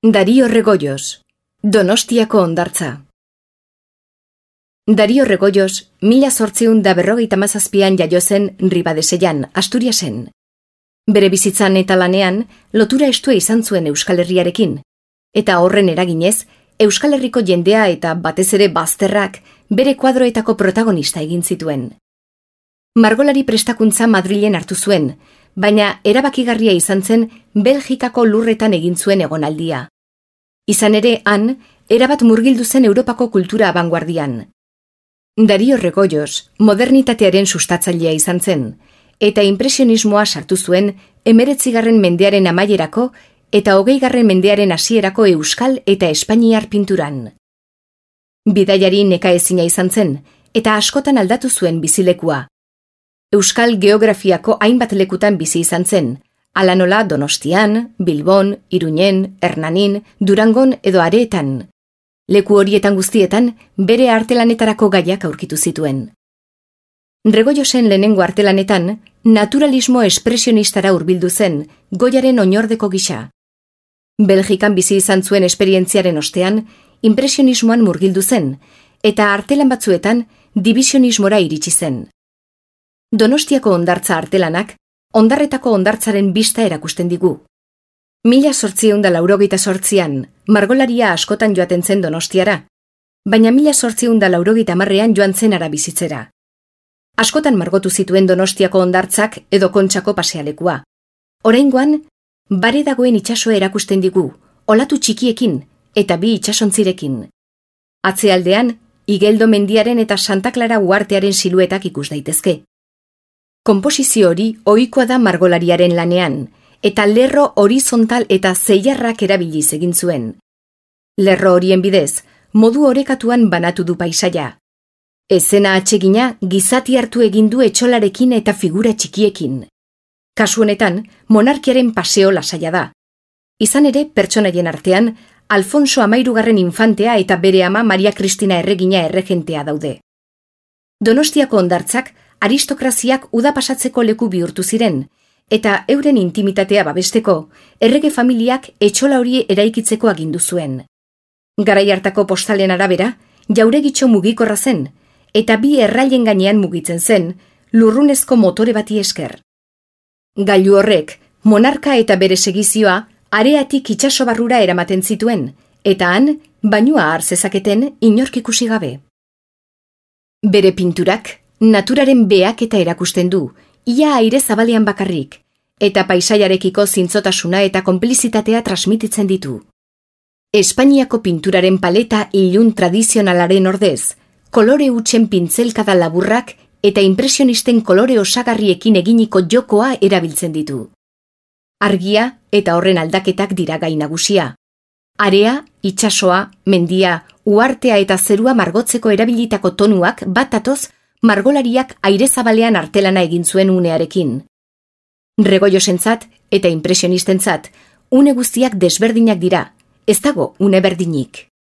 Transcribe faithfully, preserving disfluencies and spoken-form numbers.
Dario Regoyos, Donostiako hondartza. Dario Regoyos, mila zortziehun da berrogeita hamazazpian jaio zen Ribadesellán, Asturiasen. Bere bizitzan eta lanean, lotura estua izan zuen Euskal Herriarekin, eta horren eraginez, Euskal Herriko jendea eta batez ere bazterrak bere kuadroetako protagonista egin zituen. Margolari prestakuntza Madrilen hartu zuen, baina erabakigarria izan zen Belgikako lurretan egin zuen egonaldia. Izan ere, han, erabat murgildu zen Europako kultura abanguardian. Dario Regoyos modernitatearen sustatzailea izan zen, eta impresionismoa sartu zuen hemeretzigarren mendearen amaierako eta hogeigarren mendearen hasierako euskal eta espainiar pinturan. Bidaiari nekaezina izan zen, eta askotan aldatu zuen bizilekua. Euskal geografiako hainbat lekutan bizi izan zen, hala nola Donostian, Bilbon, Iruñen, Hernanin, Durangon edo Areetan. Leku horietan guztietan bere artelanetarako gaiak aurkitu zituen. Regoyosen lehenengo artelanetan naturalismo espresionistara hurbildu zen Goyaren oinordeko gisa. Belgikan bizi izan zuen esperientziaren ostean impresionismoan murgildu zen, eta artelan batzuetan divisionismora iritsi zen. Donostiako hondartza artelanak hondarretako hondartzaren bista erakusten digu. Mila zortziehun da laurogeita zortzian, margolaria askotan joaten zen Donostiara, baina mila zortziehun da laurogeita hamarrean joan zen hara bizitzera. Askotan margotu zituen Donostiako hondartzak edo Kontxako pasealekua. Oraingoan, bare dagoen itsasoa erakusten digu, olatu txikiekin eta bi itsasontzirekin. Atzealdean, Igeldo mendiaren eta Santa Clara uhartearen siluetak ikus daitezke. Konposizio hori ohikoa da margolariaren lanean, eta lerro horizontal eta zeiarrak erabiliz egin zuen. Lerro horien bidez, modu orekatuan banatu du paisaia. Ezena atsegina gizati hartu egin du etxolarekin eta figura txikiekin. Kasu honetan, monarkiaren paseo lasaia da. Izan ere, pertsonaien artean, Alfonso Hamairugarren infantea eta bere ama Maria Kristina erregina erregentea daude. Donostiako hondartzak aristokraziak uda pasatzeko leku bihurtu ziren, eta euren intimitatea babesteko, errege familiak etxola hori eraikitzeko agindu zuen. Garai hartako postalen arabera, jauregitxo mugikorra zen, eta bi errailen gainean mugitzen zen, lurrunezko motore bati esker. Gailu horrek, monarka eta bere segizioa, areatik itsaso barrura eramaten zituen, eta han, bainua har zezaketen inork ikusi gabe. Bere pinturak, naturaren behaketa erakusten du, ia aire zabalean bakarrik, eta paisaiarekiko zintzotasuna eta konplizitatea transmititzen ditu. Espainiako pinturaren paleta ilun tradizionalaren ordez, kolore hutsen pintzelkada laburrak eta impresionisten kolore osagarriekin eginiko jokoa erabiltzen ditu. Argia eta horren aldaketak dira gai nagusia. Area, itsasoa, mendia, uhartea eta zerua margotzeko erabilitako tonuak bat datoz margolariak aire zabalean artelana egin zuen unearekin. Regoyosentzat eta impresionistentzat, une guztiak desberdinak dira, ez dago une berdinik.